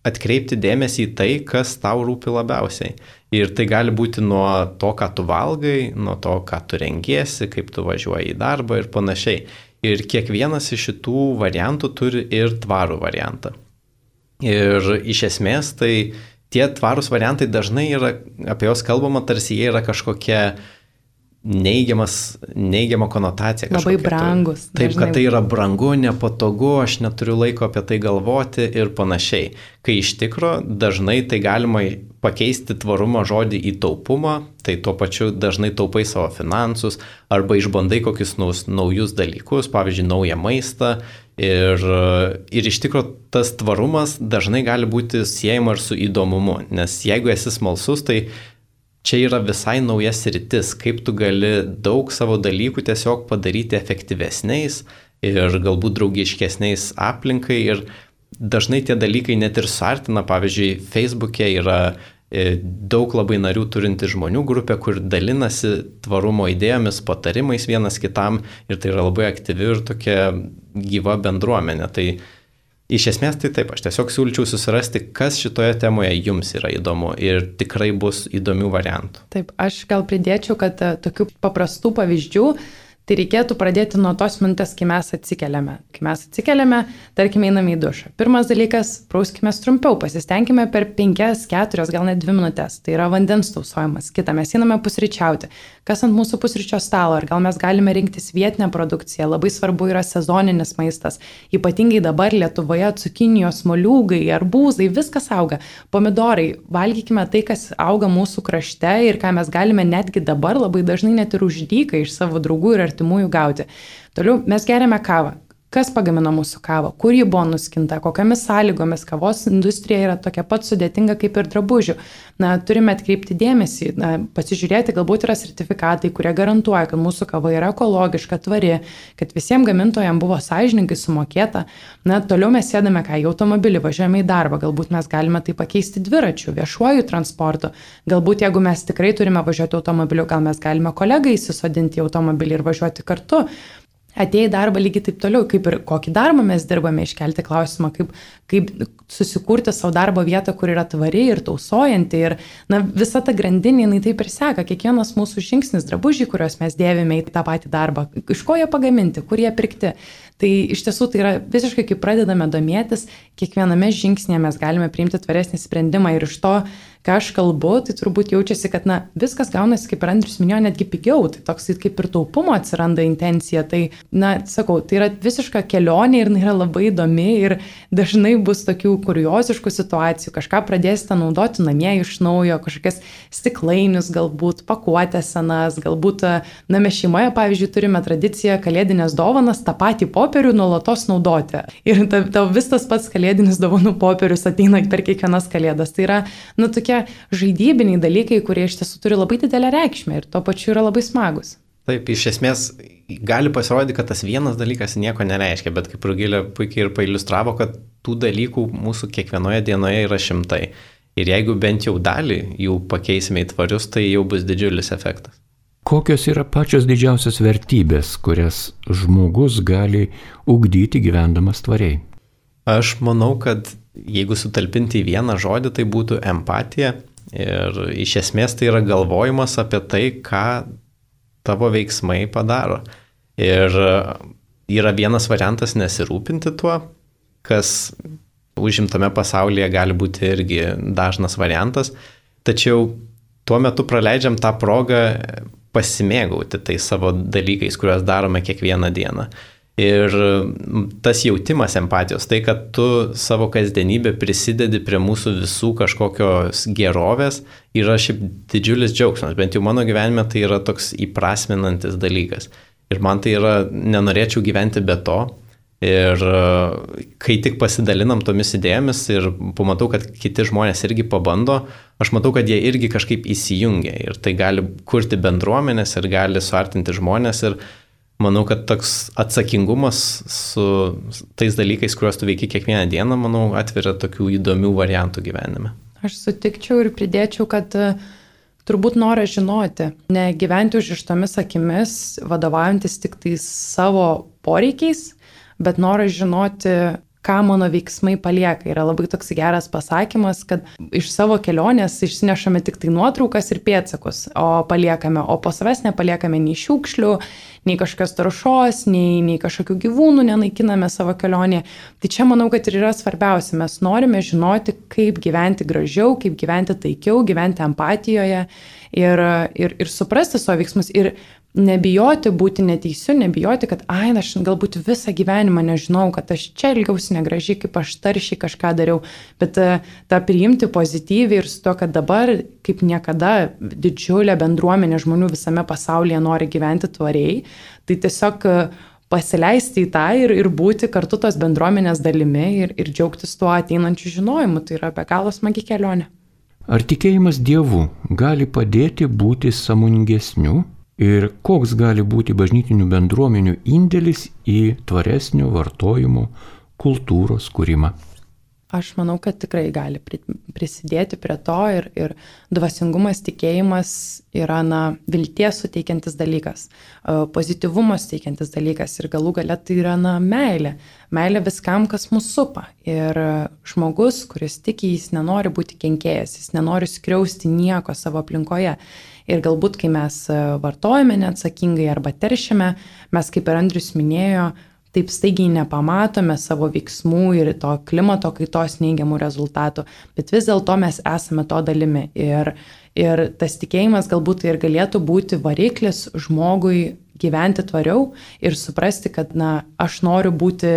atkreipti dėmesį į tai, kas tau rūpi labiausiai. Ir tai gali būti nuo to, ką tu valgai, nuo to, ką tu rengiesi, kaip tu važiuoji į darbą ir panašiai. Ir kiekvienas iš šitų variantų turi ir tvarų variantą. Ir iš esmės tai tie tvarūs variantai dažnai yra, apie jos kalbama, tarsi jie yra kažkokia neigiama konotacija. Labai brangus. Taip, kad tai yra brangu, nepatogu, aš neturiu laiko apie tai galvoti ir panašiai. Kai iš tikro dažnai tai galima pakeisti tvarumo žodį į taupumą, tai tuo pačiu dažnai taupai savo finansus arba išbandai kokius naujus dalykus, pavyzdžiui, naują maistą. Ir iš tikro tas tvarumas dažnai gali būti siejama ir su įdomumu, nes jeigu esi smalsus, tai čia yra visai nauja sritis, kaip tu gali daug savo dalykų tiesiog padaryti efektyvesniais ir galbūt draugiškesniais aplinkai. Ir dažnai tie dalykai net ir suartina. Pavyzdžiui, Facebook'e yra daug labai narių turinti žmonių grupė, kur dalinasi tvarumo idėjomis, patarimais vienas kitam ir tai yra labai aktyvi ir tokia gyva bendruomenė. Tai iš esmės tai taip, aš tiesiog siūlyčiau susirasti, kas šitoje temoje jums yra įdomu ir tikrai bus įdomių variantų. Taip, aš gal pridėčiau, kad tokių paprastų pavyzdžių Tai reikėtų pradėti nuo tos minutės, kai mes atsikeliame. Kai mes atsikeliame, tarkime, einame į dušą. Pirmas dalykas, prauskime trumpiau, pasistengime per 5, 4, gal net 2 minutės. Tai yra vandens tausojimas. Kita, mes einame pusryčiauti. Kas ant mūsų pusryčio stalo? Ar gal mes galime rinktis vietinę produkciją? Labai svarbu yra sezoninis maistas. Ypatingai dabar Lietuvoje cukinijos, moliūgai, arbūzai, viskas auga. Pomidorai, valgykime tai, kas auga mūsų krašte ir ką mes galime netgi dabar labai dažnai net ir už dyką iš savo draugų ir artimųjų gauti. Toliau mes geriame kavą. Kas pagamino mūsų kavą, kur ji buvo nuskinta, kokiamis sąlygomis. Kavos industrija yra tokia pat sudėtinga kaip ir drabužių. Turime atkreipti dėmesį, pasižiūrėti, galbūt yra sertifikatai, kurie garantuoja, kad mūsų kava yra ekologiška, tvari, kad visiems gamintojams buvo sąžininkai sumokėta. Toliau mes sėdame į automobilį, važiuojame į darbą, galbūt mes galime tai pakeisti dviračiu, viešuoju transportu. Galbūt jeigu mes tikrai turime važiuoti automobiliu, gal mes galime kolegą įsisodinti į automobilį ir važiuoti kartu. Atėję į darbą lygiai taip toliau, kaip ir kokį darbą mes dirbame, iškelti klausimą, kaip susikurti savo darbo vietą, kur yra tvari ir tausojanti. Ir visa ta grandinė, jinai taip ir seka, kiekvienas mūsų žingsnis, drabužiai, kuriuos mes dėvime į tą patį darbą, iš ko jie pagaminti, kur jie pirkti. Tai iš tiesų tai yra visiškai, kai pradedame domėtis, kiekviename žingsnėje mes galime priimti tvaresnį sprendimą ir iš to, ką aš kalbu, tai turbūt jaučiasi, kad viskas gaunasi, kaip ir Andrius minėjo, netgi pigiau, tai toks kaip ir taupumo atsiranda intencija, tai, sakau, tai yra visiška kelionė ir yra labai įdomi ir dažnai bus tokių kurioziškų situacijų, kažką pradėsite naudoti namie iš naujo, kažkokias stiklainius galbūt, pakuotės senas, galbūt, mes šeimoje, pavyzdžiui, turime tradiciją kalėdinės dovanas tą patį popierių nuolatos naudoti. Ir tau vis tas pats kalėdinis dovanų popierius ateina per kiekvienas kalėdas. Tai yra, tokie žaidybiniai dalykai, kurie iš tiesų turi labai didelę reikšmę ir tuo pačiu yra labai smagus. Taip, iš esmės gali pasirodyti, kad tas vienas dalykas nieko nereiškia, bet kaip Rugilė puikiai ir pailiustravo, kad tų dalykų mūsų kiekvienoje dienoje yra šimtai. Ir jeigu bent jau dalį jų pakeisime į tvarius, tai jau bus didžiulis efektas. Kokios yra pačios didžiausios vertybės, kurias žmogus gali ugdyti gyvendamas tvariai? Aš manau, kad jeigu sutalpinti į vieną žodį, tai būtų empatija. Ir iš esmės tai yra galvojimas apie tai, ką tavo veiksmai padaro. Ir yra vienas variantas nesirūpinti tuo, kas užimtame pasaulyje gali būti irgi dažnas variantas. Tačiau tuo metu praleidžiam tą progą pasimėgauti tai savo dalykais, kuriuos darome kiekvieną dieną. Ir tas jautimas empatijos, tai, kad tu savo kasdienybę prisidedi prie mūsų visų kažkokios gerovės, yra šiaip didžiulis džiaugsmas. Bent jau mano gyvenime tai yra toks įprasminantis dalykas. Ir man tai yra, nenorėčiau gyventi be to. Ir kai tik pasidalinam tomis idėjomis ir pamatau, kad kiti žmonės irgi pabando, aš matau, kad jie irgi kažkaip įsijungia. Ir tai gali kurti bendruomenės ir gali suartinti žmonės. Ir manau, kad toks atsakingumas su tais dalykais, kuriuos tu veiki kiekvieną dieną, manau, atveria tokių įdomių variantų gyvenime. Aš sutikčiau ir pridėčiau, kad turbūt noras žinoti, ne gyventi užrištomis akimis, vadovaujantis tik tai savo poreikiais, bet noras žinoti, ką mano veiksmai palieka. Yra labai toks geras pasakymas, kad iš savo kelionės išsinešame tik tai nuotraukas ir pėdsakus, o po savęs nepaliekame nei šiukšlių, nei kažkokios taršos, nei kažkokių gyvūnų nenaikiname savo kelionėje. Tai čia manau, kad ir yra svarbiausia. Mes norime žinoti, kaip gyventi gražiau, kaip gyventi taikiau, gyventi empatijoje ir suprasti savo veiksmus ir nebijoti būti neteisiu, nebijoti, kad aš galbūt visą gyvenimą nežinau, kad aš čia ilgiausi negražiai, kaip aš taršiai kažką dariau, bet tą priimti pozityviai ir su to, kad dabar kaip niekada didžiulė bendruomenė žmonių visame pasaulyje nori gyventi tvariai, tai tiesiog pasileisti į tą ir būti kartu tos bendruomenės dalimi ir džiaugtis tuo ateinančiu žinojimu. Tai yra be galo smagi kelionė. Ar tikėjimas Dievu gali padėti būti sąmoningesniu? Ir koks gali būti bažnytinių bendruomenių indėlis į tvaresnio vartojimo kultūros kūrimą? Aš manau, kad tikrai gali prisidėti prie to ir dvasingumas, tikėjimas yra vilties suteikiantis dalykas, pozityvumas teikiantis dalykas ir galų gale tai yra meilė. Meilė viskam, kas mus supa. Ir žmogus, kuris tiki, jis nenori būti kenkėjas, jis nenori skriausti nieko savo aplinkoje. Ir galbūt, kai mes vartojame neatsakingai arba teršiame, mes, kaip ir Andrius minėjo, taip staigiai nepamatome savo veiksmų ir to klimato kaitos neigiamų rezultatų, bet vis dėlto mes esame to dalimi. Ir tas tikėjimas galbūt tai ir galėtų būti variklis žmogui gyventi tvariau ir suprasti, kad aš noriu būti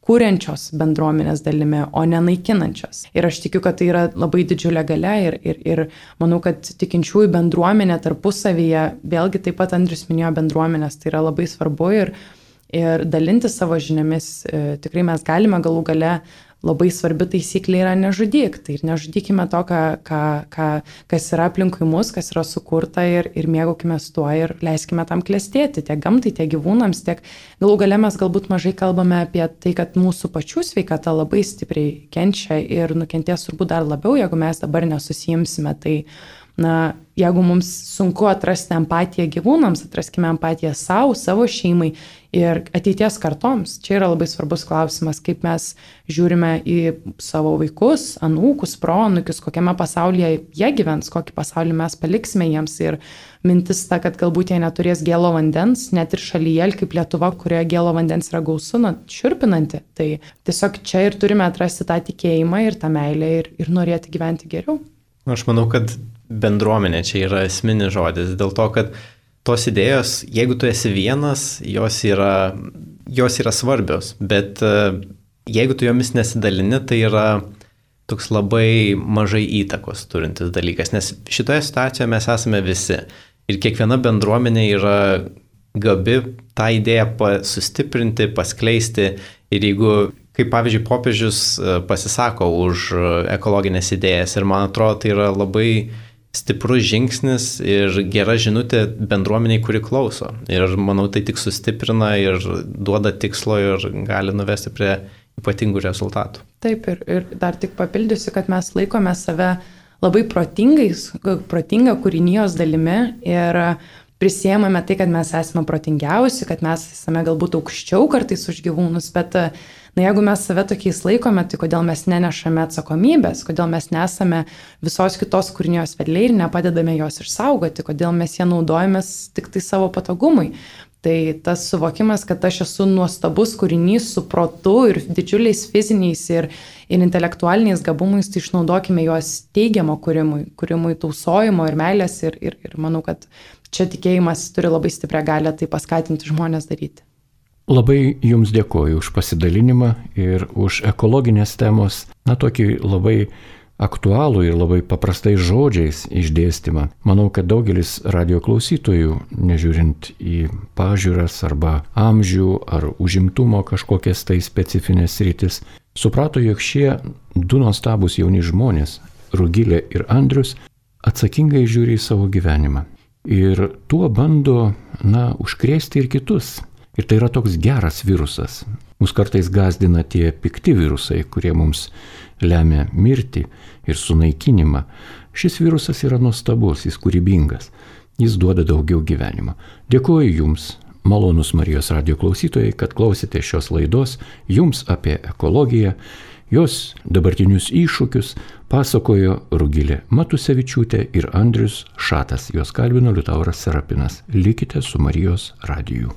kuriančios bendruomenės dalimi, o ne naikinančios. Ir aš tikiu, kad tai yra labai didžiulė galia ir manau, kad tikinčiųjų bendruomenė tarpusavyje, vėlgi taip pat Andrius minėjo bendruomenės, tai yra labai svarbu ir dalinti savo žiniomis. Tikrai mes galime galų gale, labai svarbi taisyklė yra nežudyk. Tai ir nežudykime to, kas yra aplinkui mus, kas yra sukurta ir mėgaukime tuo ir leiskime tam klestėti tiek gamtai, tiek gyvūnams, tiek galų gale mes galbūt mažai kalbame apie tai, kad mūsų pačių sveikata labai stipriai kenčia ir nukentės turbūt dar labiau, jeigu mes dabar nesusijimsime. Tai jeigu mums sunku atrasti empatiją gyvūnams, atraskime empatiją savo šeimai ir ateities kartoms. Čia yra labai svarbus klausimas, kaip mes žiūrime į savo vaikus, anūkus, proanūkius, kokiame pasaulyje jie gyvens, kokį pasaulį mes paliksime jiems. Ir mintis ta, kad galbūt jie neturės gėlo vandens, net ir šalyje, kaip Lietuva, kurioje gėlo vandens yra gausu, šiurpinanti. Tai tiesiog čia ir turime atrasti tą tikėjimą ir tą meilę ir norėti gyventi geriau. Aš manau, kad bendruomenė čia yra esminis žodis, dėl to, kad tos idėjos, jeigu tu esi vienas, jos yra svarbios, bet jeigu tu jomis nesidalini, tai yra toks labai mažai įtakos turintis dalykas, nes šitoje situacijoje mes esame visi ir kiekviena bendruomenė yra gabi tą idėją sustiprinti, paskleisti ir jeigu, kaip pavyzdžiui, popiežius pasisako už ekologinės idėjas ir man atrodo, tai yra labai stiprus žingsnis ir gera žinutė bendruomeniai, kuri klauso. Ir manau, tai tik sustiprina ir duoda tikslo ir gali nuvesti prie ypatingų rezultatų. Taip, ir dar tik papildysiu, kad mes laikome save labai protinga kūrinijos dalimi ir prisiėmame tai, kad mes esame protingiausi, kad mes esame galbūt aukščiau kartais už gyvūnus, bet jeigu mes save tokiais laikome, tai kodėl mes nenešame atsakomybės, kodėl mes nesame visos kitos kūrinijos vedliai ir nepadedame jos išsaugoti, kodėl mes ją naudojamės tik tai savo patogumui. Tai tas suvokimas, kad aš esu nuostabus kūrinys su protu ir didžiuliais fiziniais ir intelektualiniais gabumais, tai išnaudokime juos teigiamo kūrimui tausojimo ir meilės ir manau, kad čia tikėjimas turi labai stiprią galią tai paskatinti žmonės daryti. Labai Jums dėkoju už pasidalinimą ir už ekologinės temos, tokį labai aktualų ir labai paprastais žodžiais išdėstymą. Manau, kad daugelis radio klausytojų, nežiūrint į pažiūras arba amžių ar užimtumo kažkokias tai specifinės sritis, suprato, jog šie du nuostabūs jauni žmonės, Rugilė ir Andrius, atsakingai žiūri į savo gyvenimą. Ir tuo bando, užkrėsti ir kitus. Ir tai yra toks geras virusas. Mus kartais gąsdina tie pikti virusai, kurie mums lemia mirtį ir sunaikinimą. Šis virusas yra nuostabus, jis kūrybingas, jis duoda daugiau gyvenimo. Dėkuoju Jums, malonūs Marijos radijo klausytojai, kad klausėte šios laidos. Jums apie ekologiją, jos dabartinius iššūkius pasakojo Rugilė Matusevičiūtė ir Andrius Šatas. Jos kalbino Liutauras Serapinas. Likite su Marijos radiju.